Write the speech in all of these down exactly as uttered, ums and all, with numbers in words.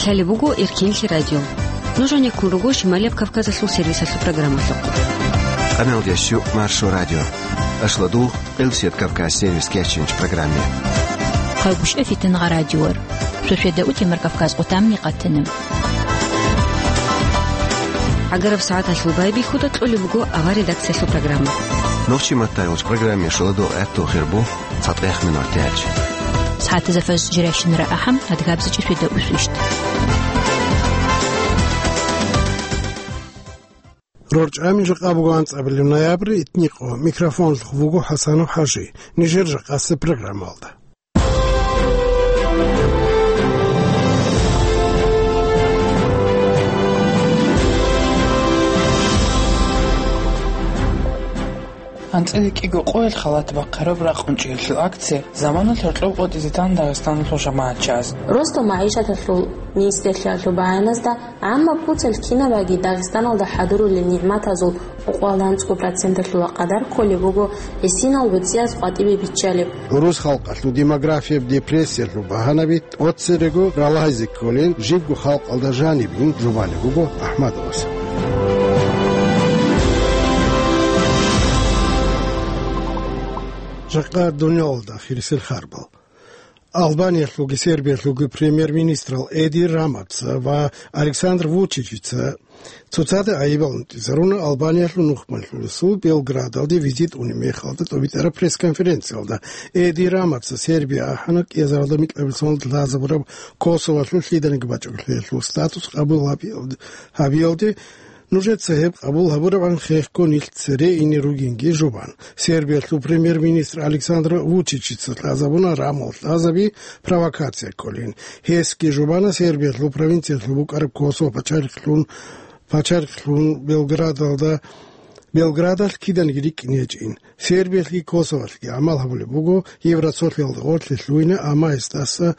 Лъалеб буго Эркенлъи радио. Нуж гьанеккун руго Шималияб Кавказалъул сервисалъул программалъухъ. Къаналдияс щу Маршо радио. Ашладул, Къилсият Кавказ сервис кечинч программе. Хъагушев Фитингъа радиор. Шошеда утемар Кавказ къутамни къатана. ГӀагараб сагӀаталъул байбихьуда кьолеб буго авар редакциялъул программа. Нохчи маттайолч программе шоладо гӀаттул хирбу. ЦатӀехъ минуталъ. СагӀатазда фажр жирайщинара ахӀам, адгабзичӀи шведа усвищт. РорчӀами жакъа буго анцӀабилеб ноябрь, итникъо. Микрофонлъухъ вуго ХӀасанов ХӀажи. Нижер жакъасеб программалда. АнцӀила кӀиго къоялъ халат бахъараб ракъунчӀиялъул акция заманалъ гьоркьоб къотӀизе тан Дагъистаналъул жамагӀатчияс. Росдал магӀишаталъул министрлъиялъул багьаназда гӀаммаб буцал кинабаги Дагъистаналда хӀадурулел нигӀматазул къокъоялда анцӀго проценталъула къадар кколеб буго гӀисинал гӀуцӀияз къватӀибе биччалеб. ГӀурус халкъалъул демографияб депрессиялъул багьанаби тӀоцерего ралайзе кколел жибго халкъалда жанибин жубалеб буго АхӀмадовас. Жакъа дуниялалда хирисел харбал. Албаниялъулги Сербиялъулги премьер-министрал Эди Рамаца ва Александр Вучичица цоцазда гӀайибал унтӀизаруна Албаниялъул нухмалъулесул Белградалде визит унеб мехалда тӀобитӀараб пресс-конференциялда. Эди Рамаца Сербия ахӀана кӀиазаралда микьабилсалда лъазабураб Косоволъул лъиданиги бачӀунеб лъелъул статус къабул гьабиялде, гьабиялде, нужеца гьеб къабул гьабурабгӀан хехго нилъ цере ине ругинги жубан. Сербиялъул премьер-министр Александр Вучичица лъазабуна Рамал лъазаби провокация кколин. Гьесги жубана Сербиялъул провинциялъул букӀараб Косово пачалихълъун, пачалихълъун Белградалда, Белградалъ киданиги рикӀкӀине гьечӀин. Сербиялъги Косоволъги гӀамал гьабулеб буго Евроцолъиялда гъорлъе лъугьине, амма гьесдаса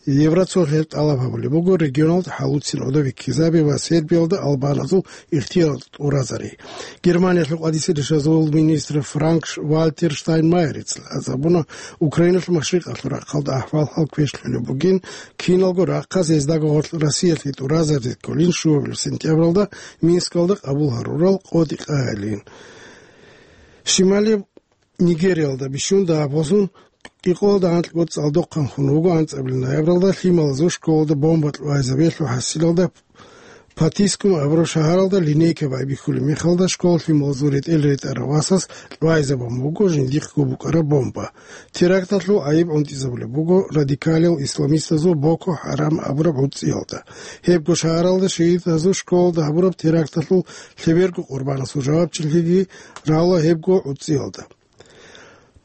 Евроцолъиялъ тӀалаб гьабулеб буго регионалда хӀалуцин гӀодов ккезаби ва Сербиялда албаназул ихтияр тӀуразари. Германиялъул къватӀиса ришазул министр Франк Вальтер Штайнмайерец лъазабуна Украиналъул машрикъалъул рахъалда ахӀвал-хӀал квешлъулеб бугин, киналго рахъалъ гьездаго гъорлъ Россиялъе тӀуразаризе кколин щуабилеб сентябралда Минскалда къабул гьарурал къотӀи къагӀилин. Шималияб Нигериялда бищун дагьаб босун кӀикъоялда анкьго цӀалдохъанхъун вуго анцӀабилеб ноябралда лъималазул школалда бомба кьвайзабиялъул хӀасилалда Патискум абураб шагьаралда линейка байбихьулеб мехалда школ лъималазул ретӀел ретӀарав васас кьвайзабун буго жиндихъго букӀараб бомба. Теракталъул гӀайиб гӀунтӀизабулеб буго радикалиял исламистазул Боко Харам абураб гӀуцӀиялда. Гьебго шагьаралда шигьидазул школалда гьабураб теракталъул лъеберго къурбанасул жавабчилъиги рагӀула гьебго гӀуцӀиялда.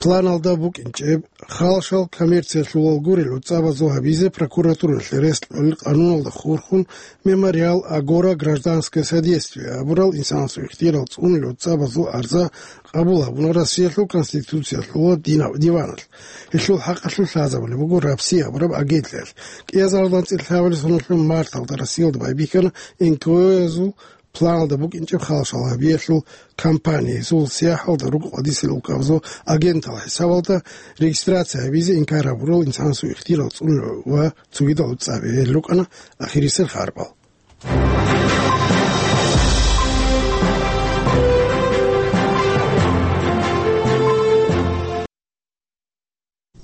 Планалда букӀинчӀеб, халшал коммерциялъулал гурел гӀуцӀабазул гьабизе прокуратуралъе рес кьолел къануналда хурхун, Мемориал Агора Гражданское содействие абурал инсанасул ихтиярал цӀунулел гӀуцӀабазул арза къабул гьабуна Россиялъул Конституциялъул дина-, диваналъ. Гьелъул хӀакъалъулъ лъазабулеб буго РАПСИ абураб агентлъиялъ. КӀиазаралда анцӀила лъабабилеб соналъул марталда Россиялда байбихьана НКО-язул планалда букӀинчӀеб халшал гьабиялъул кампания, гьезул сияхӀалда руго къватӀисел улкабазул агентал хӀисабалда регистрация гьабизе инкар гьабурал инсанасул ихтиярал цӀунулел ва цогидал гӀуцӀаби. Гьел рукӀана ахирисел харбал.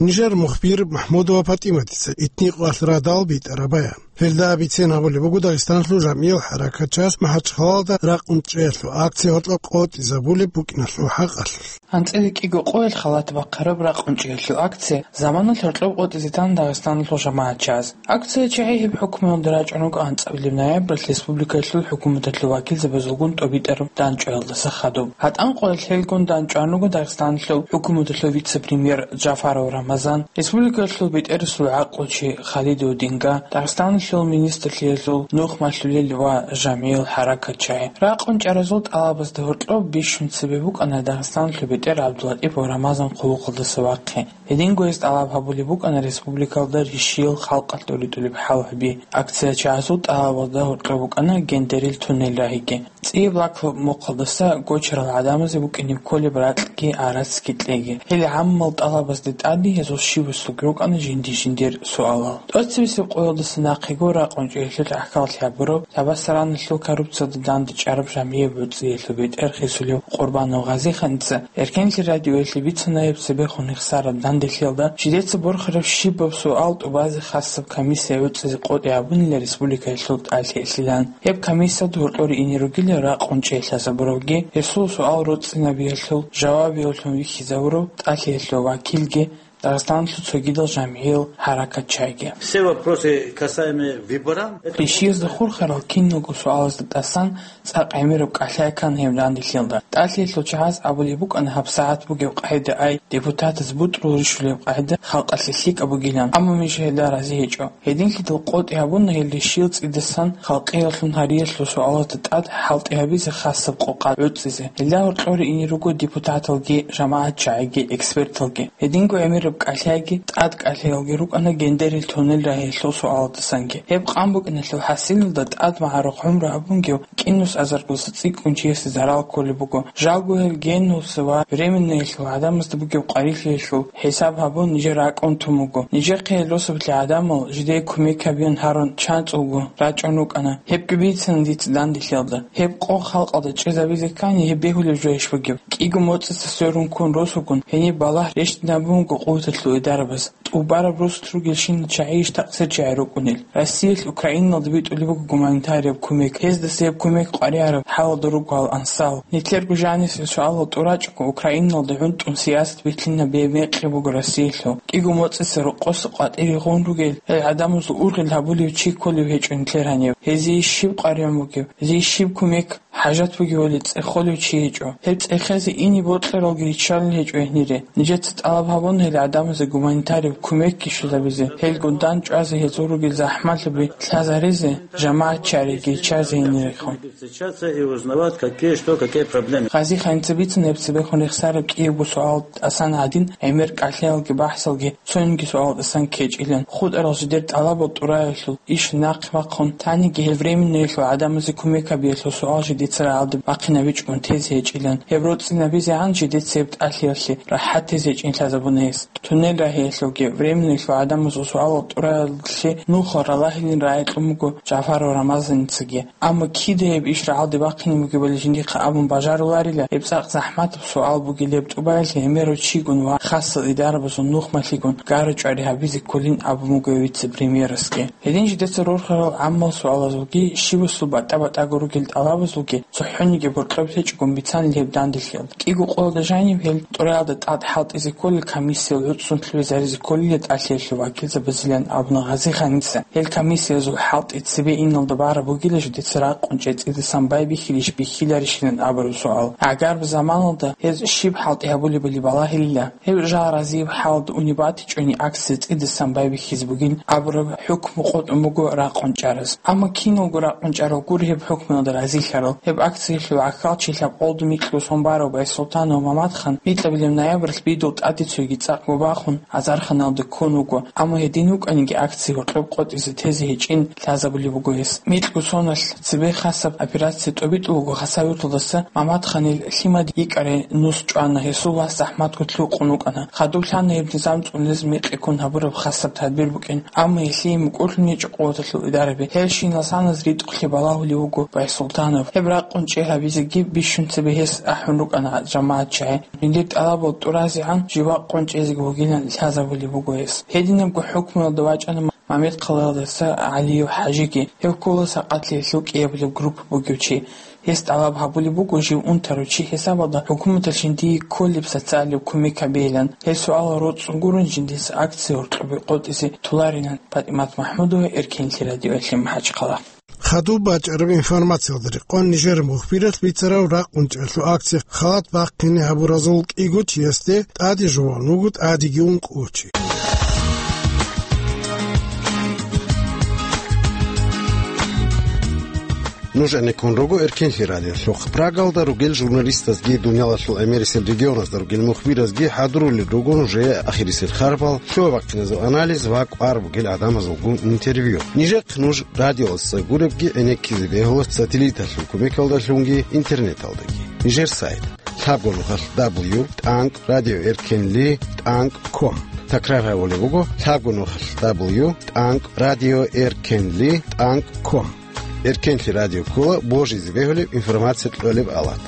Нижер мухбир МахӀмудова ПатӀиматица итникъоялъ радал битӀараб баян. Гьелда бицен гьабулеб буго Дагъистаналъул жамгӀиял хӀаракатчияс МахӀачхъалаялда ракъунчӀиялъул акция гьоркьоб къотӀизабулеб букӀиналъул хӀакъалъулъ. АнцӀила кӀиго къоялъ халат бахъараб ракъунчӀиялъул акция заманалъ гьоркьоб къотӀизе тан Дагъистаналъул жамагӀатчияс. Акция чагӀи гьеб хӀукмуялда рачӀун руго анцӀабилеб ноябралъ республикаялъул хӀукуматалъул вакилзабазулгун тӀобитӀараб дандчӀваялдаса хадуб. ГьатӀан къоялъ гьелгун дандчӀван руго Дагъистаналъул хӀукуматалъул вице-премьер Джафаров Рамазан, республикаялъул бетӀерасул гӀакълучи Халидов Динга, Дагъистаналъул министрлъиялъул нухмалъулел ва жамгӀиял хӀаракатчагӀи. РакъунчӀаразул тӀалабазда гьоркьоб бищун цебе букӀана Дагъистаналъул бетӀер ГӀабдуллатӀипов Рамазан хъулухъалдаса вахъи. Гьединго гьес тӀалаб гьабулеб букӀана республикалда рищиял халкъалъ тӀоритӀулеб хӀал гьаби. АкциячагӀазул тӀалабалда гьоркьоб букӀана гендерил туннел рагьиги. ЦӀияб лакалаб мухъалдаса гочарал гӀадамазе букӀине кколеб ракьги гӀарацги кьеги. Гьел гӀаммал тӀалабазда тӀаде гьезул щиб-, бусулги рукӀана жинди-жиндир суалал. ТӀоцебесеб къоялдаса нахъего ракъун чӀеялъул гӀахьаллъи гьабурав, Табасараналъул коррупциялда дандчӀараб жамгӀияб гӀуцӀиялъул бетӀер хисулев Къурбанов Гъазиханица Эркенлъи радиоялъе бицана гьеб цебехун рехсараб данделъиялда жидеца борхараб щибаб суал тӀубазе хасаб комиссия гӀуцӀизе къотӀи гьабунила республикаялъул тӀалъиялъилан. Гьеб комиссиялда гьоркьоре ине ругила ракъун чӀей лъазабуравги, гьесул суал роцӀцӀинабиялъул жавабиявлъун вихьизавурав тӀалъиялъул вакилги, Дагъистаналъул цогидал жамгӀиял гьаракатчагӀиги. Все вопросы, касаемые выборам, это Ришиязда хурхарал киналго суалазда тӀасан цӀакъ гӀемераб кӀалъай ккана гьеб данделъиялда. ТӀалъиялъул чагӀаз абулеб букӀана гьабсагӀат бугеб къагӀида ай, депутатаз бутӀрул рищулеб къагӀида халкъалъе лъикӀаб бугилан, амма Миша гьелда рази гьечӀо. Гьединлъидал къотӀи гьабуна гьел ришиял цӀидасан халкъиялъун гьариялъул суалазда тӀад хӀалтӀи гьабизе хасаб къокъа гӀуцӀизе. Гьелда гьоркьоре ине руго депутаталги, жамагӀатчагӀиги, эксперталги. Гьединго гӀемераб кӀалъайги, тӀад кӀалъаялги рукӀана Гендерил туннел рагьиялъул суалалдасанги. Гьеб къан букӀиналъул хӀасилалда тӀад магӀарухъ гӀумру гьабунгев кӀинус азаргоса цӀикӀкӀун чиясе зарал кколеб буго. Жалго гьел генуса ва временноялъул гӀадамазда бугеб къварилъиялъул хӀисаб гьабун нижер ракӀун тун буго. Нижехъе гьел росаблъи гӀадамал жидее кумек гьабеян гьарун чанцӀулго рачӀун рукӀана. Гьебги бицана дица данделъиялда. Гьеб къо халкъалда чӀезабизе ккани, гьеб бегьулеб жойищ бугеб? КӀиго моцӀица сверун ккун росугун, гьениб балагь рещтӀинабунго къуваталъул идарабаз. ТӀубараб росулъ ругелщинал чагӀийищ такъсир чагӀи рукӀунел? Россиялъ Украиналда битӀулеб буго гуманитарияб кумек. Гьездаса гьеб кумек къваригӀараб хӀалалда руго гьал ансал. Нилъерго жанисел суалал тӀурачӀого Украиналда гӀунтӀун сиясат бихьинаб беб мекъи буго Россиялъул. КӀиго моцӀица рокъоса къватӀире гъун ругел гьел гӀадамазул ургъел гьабулев чи кколев гьечӀо нилъер гьанив. Гьезие щиб къваригӀун бугеб? Гьезие щиб кумек хӀажат бугевали цӀехолев чи гьечӀо. Гьеб цӀехезе ине бокьаралги риччалел гьечӀо гьенире. Нижеца тӀалаб гьабун гьел гӀадамазе гуманитарив кумекги щвезабизе, гьелгун дандчӀвазе гьезул ругел захӀмалъаби лъазаризе, жамагӀат чагӀиги чазе гьенирехун. Встречаться и узнавать, какие, что, какие проблемы. Гъазиханица бицун гьеб цебехун рехсараб кӀиябго суал тӀасан гьадин, гӀемер кӀалъаялги бахӀсалги цониги суал тӀасан ккечӀилан. ХутӀарал жидер тӀалабал тӀураялъул иш нахъ бахъун, таниги гьел временноялъул гӀадамазе кумек гьабиялъул суал жидеца рагӀалде бахъинабичӀун тезе гьечӀилан. Гьеб роцӀцӀинабизегӀан жидеца гьеб тӀалъиялъе рахӀат тезе гьечӀин лъазабуна гьес. Туннел рагьиялъулги временноялъул гӀадамазул суалал тӀураялъе нухал ралагьилин рагӀи кьун буго Жафаров Рамазаницаги. Амма кида гьеб иш рагӀалде бахъине бугебали жиндихъа абун бажаруларила, гьеб цӀакъ захӀматаб суал бугилеб тӀубаялъе гӀемерав чигун ва хасал идарабазул нухмалъигун гара-чӀвари гьабизе кколин абун буго вице-премьерасги. Гьедин жидеца рорхарал гӀаммал суалазулги, щибасул батӀа-батӀаго ругел тӀалабазулги цохӀониги боркьоб лъечӀогун бицанил гьеб данделъиялда. КӀиго къоялда жаниб гьел тӀураялда тӀад хӀалтӀизе кколел комиссиял гӀуцӀцун лъугӀизаризе кколила тӀалъиялъул вакилзабазилан абуна Гъазиханица. Гьел комиссиязул хӀалтӀи цебе иналда бараб бугила жидеца ракъун чӀей цӀидасан байбихьилищ бихьиларищилан абураб суал. ГӀагарб заманалда гьез щиб хӀалтӀи гьабулебали балагьилила. Гьеб жал разияб хӀалда уни батичӀони акция цӀидасан байбихьизе бугин абураб хӀукму къотӀун буго ракъун чӀараз. Амма киналго ракъун чӀарал гуро гьеб хӀукмуялда разилъарал. Гьеб акциялъул гӀахьалчи лъабкъолда микьго сон барав Байсултанов Мамадхан микьабилеб ноябрьалъ бидул тӀаде цоги цӀакъго бахун, Азарханалда ккун вуго, амма гьедин вукӀаниги акция гьоркьоб къотӀизе тезе гьечӀин лъазабулеб буго гьес. Микьго соналъ цебе хасаб операция тӀобитӀулего Хасавюрталдаса Мамадханил лъимад йикӀарай нус чӀвана, гьесул вас захӀматго лъукъун вукӀана. Хадуб лъана гьеб низам цӀунез мекъи ккун гьабураб хасаб тадбир букӀин, амма гьелъие мукӀурлъун гьечӀо къуваталъул идараби. Гьел щинал саназ ритӀухълъи балагьулев вуго Байсултанов. Гьеб ракъун чӀей гьабизеги бищун цебе гьес ахӀун рукӀана жамагӀатчагӀи. Жиндир тӀалабал тӀуразегӀан жив вакъун чӀезеги вугилан лъазабулеб буго гьес. Гьединабго хӀукмуялда вачӀана Мамедхъалаялдаса ГӀалиев ХӀажиги. Гьев ккола Сакъатлъиялъул кӀиабилеб группа бугев чи. Гьес тӀалаб гьабулеб буго жив унтарав чи хӀисабалда хӀукуматалъ жиндие кколеб социалияб кумек гьабейилан. Гьел суалал роцӀцӀун гурун жиндица акция гьоркьобе къотӀизе толарилан. ПатӀимат МахӀмудова, Эркенлъи радиоялъе МахӀачхъала. Хадуб бачӀараб информациялда рекъон нижер мухбиралъ бицарав ракъун чӀалъул акция халат бахъине гьабуразул кӀиго чиясде тӀаде жуван вуго тӀадеги ункъо чи. Нуж гӀенеккун руго Эркенлъи радиолъухъ. Прагалда ругел журналистазги, дуниялалъул гӀемерисел регионазда ругел мухбиразги хӀадурулел руго нужее ахирисел харбал, лъугьа-бахъиназул анализ ва кӀвар бугел гӀадамазулгун интервью. Нижехъ нуж радиоялдаса гуребги гӀенеккизе бегьула сателлиталъул кумекалдалъунги интернеталдаги. Нижер сайт: лъабго нухалъ дабл ю тӀанкӀ радио эркенли тӀанкӀ ком. Такрар гьабулеб буго: лъабго нухалъ дабл ю тӀанкӀ радио эркенли тӀанкӀ ком. Эркенлъи радио ккола божизе бегьулеб информация кьолеб алат.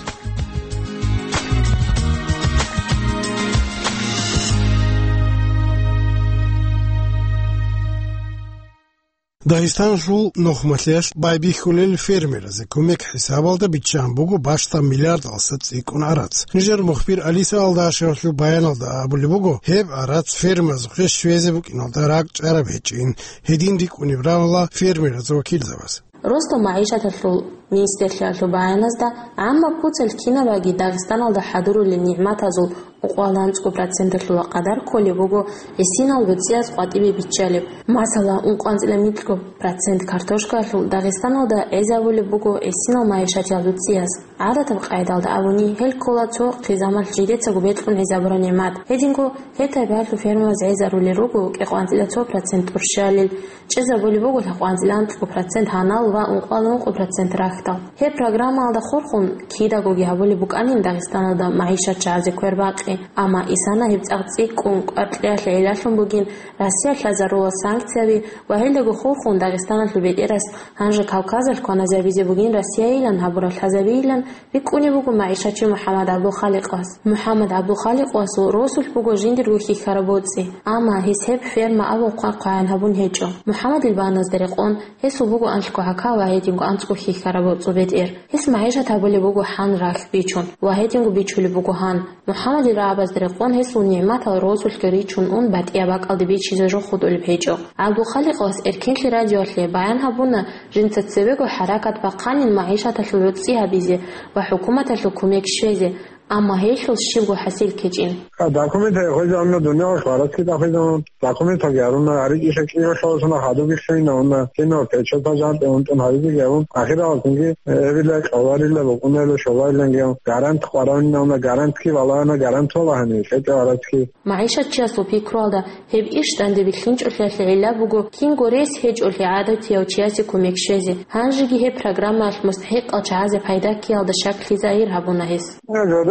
Дагъистаналъул нухмалъиялъ байбихьулел фермеразе кумек хӀисабалда биччан буго бащдаб миллиардалдаса цӀикӀкӀун гӀарац. Нижер мухбир Алиса Алдашевалъул баяналда абулеб буго, гьеб гӀарац фермазухъе щвезе букӀиналда ракӀчӀараб гьечӀин, гьедин рикӀкӀунеб рамала фермеразул вакилзабаз. Росдал магӀишаталъул министрлъиялъул баяназда гӀаммаб куцалъ кинабаги Дагъистаналда хӀадурулел нигӀматазул ункъоялда анцӀго проценталъула къадар кколеб буго гӀисинал гӀуцӀияз къватӀибе биччалеб. Масала, ункъоанцӀила микьго процент картошкаялъул Дагъистаналда гӀезабулеб буго гӀисинал магӀишатиял гӀуцӀияз. ГӀадатаб къайдалда абуни, гьел ккола цо хъизамалъ жидецаго бекьун гӀезабураб нигӀмат. Гьединго гьеб тайпаялъул фермабаз гӀезарулел руго кӀикъоанцӀила цо процент тӀурщалел, чӀезабулеб буго лъабкъоанцӀила анцӀго процент гьанал ва ункъоялда ункъо процент рахьдал. Гьеб программаялда хурхун кидагоги гьабулеб букӀанин Дагъистаналда магӀишат чагӀазе квербакъи, амма исана гьеб цӀакъ цӀикӀкӀун кӀвар кьеялъе гӀиллалъун бугин Россиялъ лъазарулел санкцияби ва гьелдаго хурхун Дагъистаналъул бетӀерас гьанже Кавказалъ кваназабизе бугин Россияйилан гьабураб лъазабийилан рикӀкӀунеб буго магӀишатчи МухӀаммад ГӀабдулхаликъас. МухӀаммад ГӀабдулхаликъасул росулъ буго жиндирго хьихьараб боцӀи, амма гьес гьеб ферма абун хъвай-хъваян гьабун гьечӀо. МухӀаммадил баяназда рекъон, гьесул буго анлъго гӀака ва гьединго анцӀго хьихьараб боцӀул бетӀер. Гьес магӀишат гьабулеб буго гьан рахь бичун ва гьединго бичулеб буго гьан. МухӀаммадил рагӀабазда рекъон, гьесул нигӀматал росулъги ричун ун батӀияб бакӀалде бичизе жо хутӀулеб гьечӀо. ГӀабдулхаликъас Эркенлъи радиоялъе баян гьабуна, жинца цевего хӀаракат бахъанин магӀишаталъул гӀуцӀи гьабизе ва хӀукуматалъул кумек щвезе, амма гьелъул щибго хӀасил ккечӀин. Документал хвезавуна, дуниял хвараски тӀахвезавун, документалги гьаруна, гьарикӀиша кӀиялъуласуна хадуб бихьинавуна, кино печатал жантӀе унтӀун гьаризеги гьавун, ахираласунги, э, эбила, кьоларила, букӀунарила, щолариланги гьавун, гарант къваравинавуна, гарантги валагьана, гарант валагьани, лъетӀе гьараски. МагӀишатчиясул пикруялда, гьеб иш данде бихьинчӀолъиялъе гӀилла буго кинго рес гьечӀолъи гӀадатияв чиясе кумек щвезе. Гьанжеги гьеб программаялъ мустахӀикъал чагӀазе пайда ккеялда щаклъи загьир гьабуна гьес.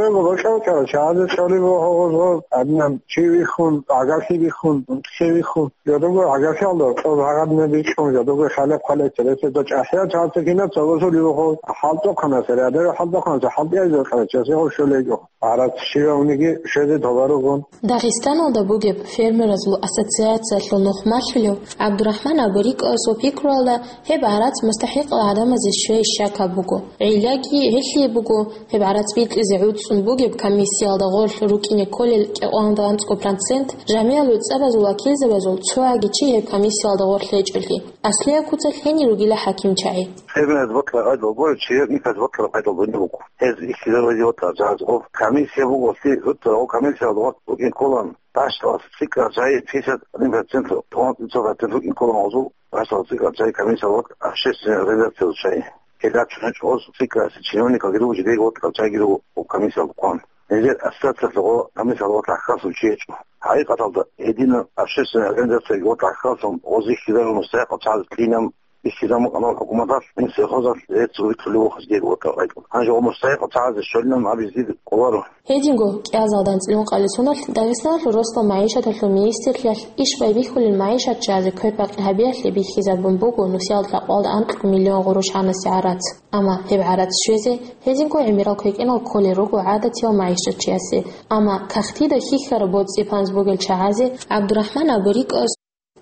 Жодего бокьав чагӀазе чӀолеб буго гъоз-гъоз, гьадинаб чи вихьун, гӀагарлъи бихьун, унтӀлъи вихьун. Жодого гӀагарлъиялда кьоб гьагъадинаб бикьун, жодого хӀалеб-хъалеб, цересезда чӀахӀиял чагӀаца кинаб цогозулеб буго, хӀалтӀухъанасериадеро хӀалтӀухъанаса хӀалтӀиязе кьарачасе гъов щолейго. Гьарац щивавниги щвезе товарогун. Дагъистаналда бугеб фермеразул ассоциациялъул нухмалъулев ГӀабдурахӀман Абурикъасул пикруялда, гьеб гьарац мустахӀикъал гӀадамазе щвей щакаб буго. ГӀиллаги гьелъие буго, гьеб гьарац бикьизе гӀуцӀун бугеб комиссиялда гъорлъ рукӀине кколел кӀикъоялда анцӀго процент, жамигӀал гӀуцӀабазул вакилзабазул цояги чи гьеб комиссиялда гъорлъ гьечӀолъи. Аслияб куцалъ гьенир ругила хӀакимчагӀи. Гьеб гьез бакьараб къайдал гуреб, чи гьеб никаз бакьараб къайдал бугеб буго. Гьез ихьизабизе ватӀа жагьаз гъов комиссия буго, лъи гьуцӀа гъов комиссиялда гъорлъ рукӀин кколан. Дашдалас цӀикӀкӀал чагӀи пятьдесят один процент тӀун, сто процент рукӀин кколан гъозул, дашдалас цӀикӀкӀал чагӀи комиссиялда ватӀа общественный организациялда чагӀи. Гьел рачун гьечӀо гъоз цӀикӀкӀаласе чиновникалги руго, жидейги ватӀа чагӀиги руго гъоб комиссиялда кколан. Гьезер ассоциациялъе гъо комиссиялда ватӀа хасун чи гьечӀо. ХӀакъикъаталда, гьединаб общественный организацияги ватӀа хасун гъоз ихьизабун мустахӀикъал чагӀаз кьинаб. Ихьизабун къанал хӀукуматалъ, Минсельхозалъ гьез цӀуби кьулев вохизе дего ватӀа гъайкъун. Гьанже гъо мустахӀикъал чагӀазе щолилан абизе дир къоларо. Гьединго, кӀиазалда анцӀила ункъабилеб соналъ Дагъистаналъул росдал магӀишаталъул министрлъиялъ иш байбихьулел магӀишатчиязе квер-бакъи гьабиялъе бихьизабун буго нусиялда лъабкъоялда анкьго миллион гъурущ гьанасе гӀарац. Амма гьеб гӀарац щвезе гьединго гӀемерал квекӀинал кколел руго гӀадатияв магӀишатчиясе. Амма кагътида хьихьараб боцӀи-панз бугел чагӀазе ГӀабдурахӀман Абурикъас,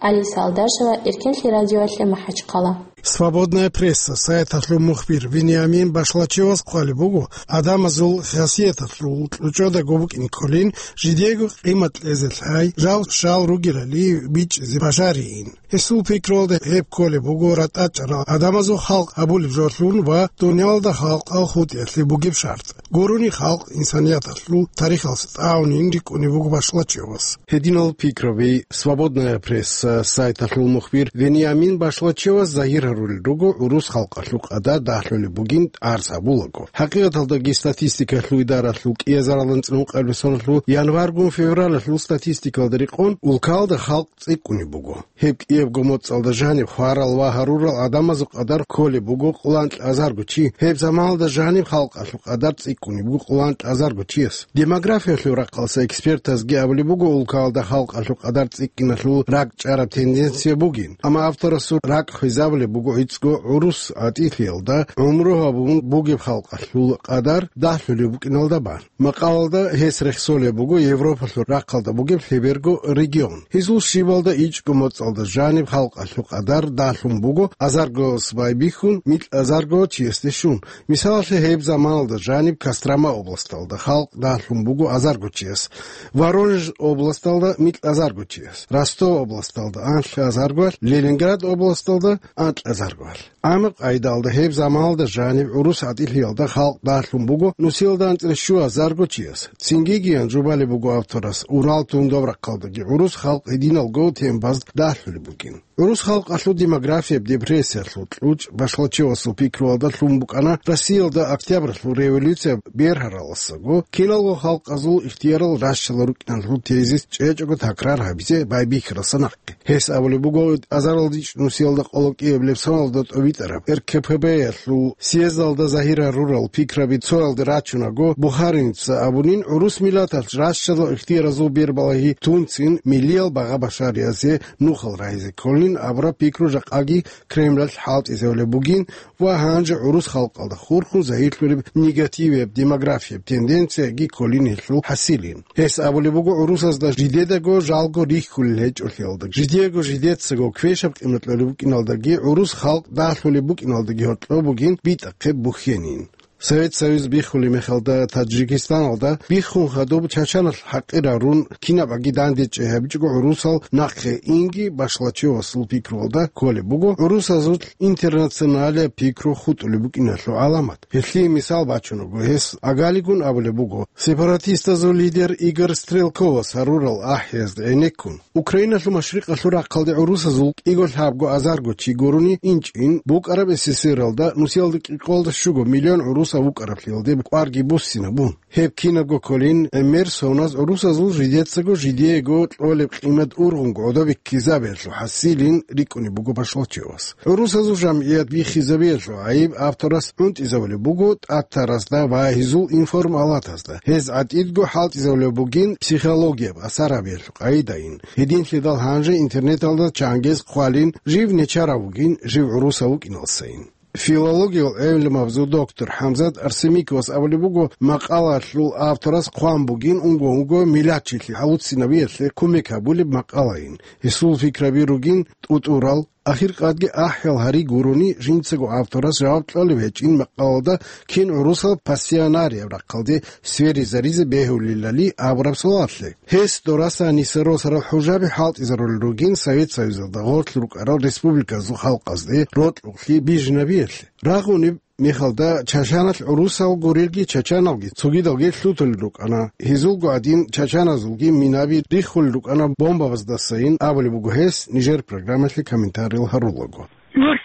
Алиса Алдашева, Эркенлъи радиоялъе, МахӀачхъала. Свободная пресса сайталъул мухбир Вениамин Башлачевас хъвалеб буго, гӀадамазул хасияталъул кьучӀодаго букӀин кколин, жидего къимат кьезе лъай, жал-щал ругелали бичӀчӀизе бажариин. Гьесул пикруялда, гьеб кколеб буго ратӀа чӀарал гӀадамазул халкъ абулеб жолъун ва дуниялалда халкъал хутӀиялъе бугеб шартӀ. Гурони халкъ инсанияталъул тарихалъ тӀагӀунин рикӀкӀунеб буго Башлачевас. Гьединал пикраби «Свободная пресса» сайталъул мухбир Вениамин Башлачевас загьир гьарулел руго гӀурус халкъалъул къадар дагьлъулеб бугин тӀарс гьабулаго. ХӀакъикъаталдаги статистикалъул идаралъул кӀиазаралда анцӀила ункъабилеб соналъул январгун февралалъул статистикалда рекъон, улкалда халкъ цӀикӀкӀунеб буго. Гьеб кӀиябго моцӀалда жаниб хварал ва гьарурал гӀадамазул къадар кколеб буго къоло анкьазарго чи, гьеб заманалда жаниб халкъалъул къадар цӀикӀкӀунеб буго къоло анкьазарго чияс. Демографиялъул рахъалъа экспертазги абулеб буго улкалда халкъалъул къадар цӀикӀкӀиналъул ракӀчӀараб тенденция бугин, амма авторасул ракӀ хвезабулеб буго гӀицӀго гӀурус гӀатӀилъиялда гӀумру гьабун бугеб халкъалъул къадар дагьлъулеб букӀиналда бан. Макъалалда гьес рехсолеб буго Европалъул рахъалда бугеб лъеберго регион. Гьезул щибалда ичӀго моцӀалда жаниб халкъалъул къадар дагьлъун буго азаргояс байбихьун, микьазарго чиясде щун. Мисалалъе, гьеб заманалда жаниб Кострома областалда халкъ дагьлъун буго азарго чияс, Воронеж областалда микьазарго чияс, Ростов областалда анлъазарго, Ленинград областалда анкьазарго. Амма къайдалда гьеб заманалда жаниб гӀурус гӀатӀилъиялда халкъ дагьлъун буго нусиялда анцӀила щуазарго чияс. Цинги гиян жубалеб буго авторас, Урал тундаб рахъалдаги гӀурус халкъ гьединалго тембаз дагьлъулеб бугин. ГӀурус халкъалъул демографияб депрессиялъул кьучӀ Башлачевасул пикруялда лъун букӀана Россиялда Октябралъул революция бергьаралдасаго киналго халкъазул ихтиярал ращалда рукӀиналъул тезис чӀечӀого такрар гьабизе байбихьаралдаса нахъе. Гьес абулеб буго, азаралда ичӀго нусиялда къоло кӀиабилеб соналда тӀобитӀараб РКПБ-ялъул съездалда загьир гьарурал пикраби цоялде рачунаго, Бухаринца абунин, гӀурус миллаталъ ращадал ихтияразул бербалагьи тунцин миллиял багъа-башариязде нухал рагьизе кколин абураб пикру жакъаги Кремлалъ хӀалтӀизабулеб бугин ва гьанже гӀурус халкъалда хурхун загьирлъулеб негативияб демографияб тенденцияги кколин гьелъул хӀасилин. Гьес абулеб буго, гӀурусазда жидедаго жалго рихьулел гьечӀолъиялда, жидеего жидецаго квешаб къимат кьолеб букӀиналдаги гӀурус халкъ дагьлъулеб букӀиналдаги гьоркьоб бугин битӀахъе бухьенин. Совет Союз биххулеб мехалда Таджикистаналда биххун хадуб Чачаналъ хӀакъир гьарун, кинаб аги дандечӀей гьабичӀого гӀурусал нахъе инги Башлачевасул пикруялда кколеб буго гӀурусазул интернационалияб пикру хутӀулеб букӀиналъул гӀаламат. Гьелъие мисал бачун буго гьес. Агалигун абулеб буго, сепаратистазул лидер Игорь Стрелковас гьарурал ахӀиязда гӀенеккун. Украиналъул машрикъалъул рахъалде гӀурусазул кӀиго лъабго азарго чи гурони инчӀин букӀараб СССР-алда нусиялда кӀикъоялда щуго миллион гӀурусаз вукӀараблъиялде кӀварги буссинабун. Гьеб кинабго кколин, гӀемер соназ гӀурусазул жидецаго жидеего кьолеб къимат ургъунго гӀодобиккизабиялъул хӀасилин рикӀкӀунеб буго Башлачевас. ГӀурусазул жамгӀият биххизабиялъул гӀайиб авторас гӀунтӀизабулеб буго тӀатарасда ва гьезул информалатазда. Гьез гӀатӀидго хӀалтӀизабулеб бугин психологияб асар гьабиялъул къайдаин. Гьединлъидал гьанже интернеталда чангез хъвалин, жив нечарав вугин, жив гӀурусав вукӀиналдасайин. Филологиял гӀелмабазул доктор ХӀамзат Арсемиковас абулеб буго, макъалаялъул авторас хъван бугин унго-унго миллатчилъи гьавуццинабиялъе кумек гьабулеб макъалаин. Гьесул пикраби ругин тӀутӀурал, ахиркъадги ахӀиял гьари гурони, жинцаго авторас жаваб кьолеб гьечӀин макъалаялда кин гӀурусал пассионарияб рахъалде сверизаризе бегьулелали абураб суалалъе. Гьес дораса нисаросарал хӀужаби хӀалтӀизарулел ругин Совет Союзалда гъорлъ рукӀарал республиказул халкъазде рокьукълъи бижинабиялъе. Рагъунеб мехалда Чачаналъ гӀурусал гурелги чачаналги цогидалги лъутулел рукӀана. Гьезулго гӀадин чачаназулги минаби риххулел рукӀана бомбабаздасайин, абулеб буго гьес нижер программалъе комментариял гьарулаго. Эх,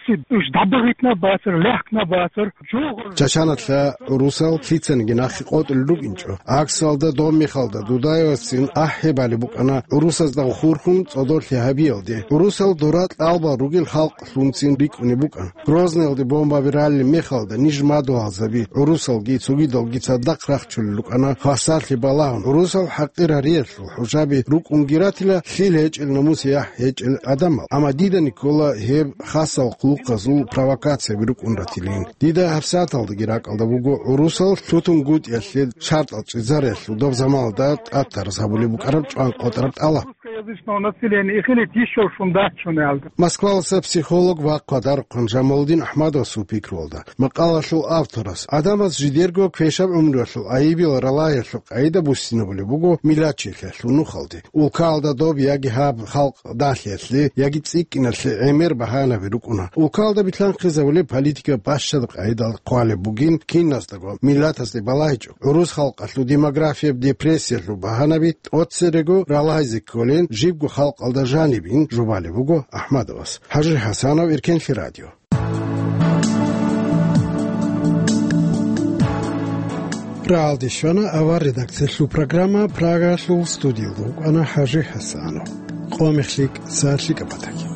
ждабагъитна бацар, лехкна бацар, жугъ. Чачаналъа гӀурусал лъицаниги нахъе къотӀулел рукӀинчӀо. ГӀаксалда, доб мехалда Дудаевацин ахӀи балеб букӀана гӀурусазда хурхун цӀодорлъи гьабиялде. ГӀурусал дора кьалбал ругел халкълъунцин рикӀкӀунеб букӀана. Грозныйалде бомбаби ралел мехалда ниж мадугьалзаби, гӀурусалги цогидалги цадахъ рахчулел рукӀана хвасарлъи балагьун, гӀурусал хӀакъир гьариялъул хӀужаби рукӀунги ратила лъил гьечӀел, намус-яхӀ гьечӀел гӀадамал. Амма дида ккола гьеб хасал хъулухъазул провокацияби рукӀун ратилин. Дида гьабсагӀаталдаги ракӀалда буго гӀурусал лъутунгутӀиялъе шартӀал чӀезариялъул доб заманалда тӀатарас гьабулеб букӀараб чӀван къотӀараб тӀалаб. Население ихилит ещё шундаччун ялда. Москваласа психолог ва хъвадарухъан Жамалудин Ахмадовасул пикруялда, макъалалъул авторас, гӀадамаз жидерго квешаб гӀумруялъул айибил ралагьиялъул къагӀида буссинабулеб буго миллатчилъиялъул нухалде. Улкаялда доб яги гьаб халкъ далъиялъе яги цӀикӀкӀиналъе гӀемер багьанаби рукӀуна. Улкаялда билълъанхъизабулеб политика бащад къагӀидал хъвалеб бугин, киназдаго миллатазде балагьичӀо. ГӀурус халкъалъул демографияб депрессиялъул багьанаби тӀоцерего ралагьизе кколин, жибго халкъалда жанибин жубалеб буго Ахмадовас. ХӀажи ХӀасанов, Иркенлъи радио. Рагьалде щвана авар редакциялъул программа, Прагалъул студиялда вукӀана ХӀажи ХӀасанов. Къо мехлъи, са лъикӀаб батаги.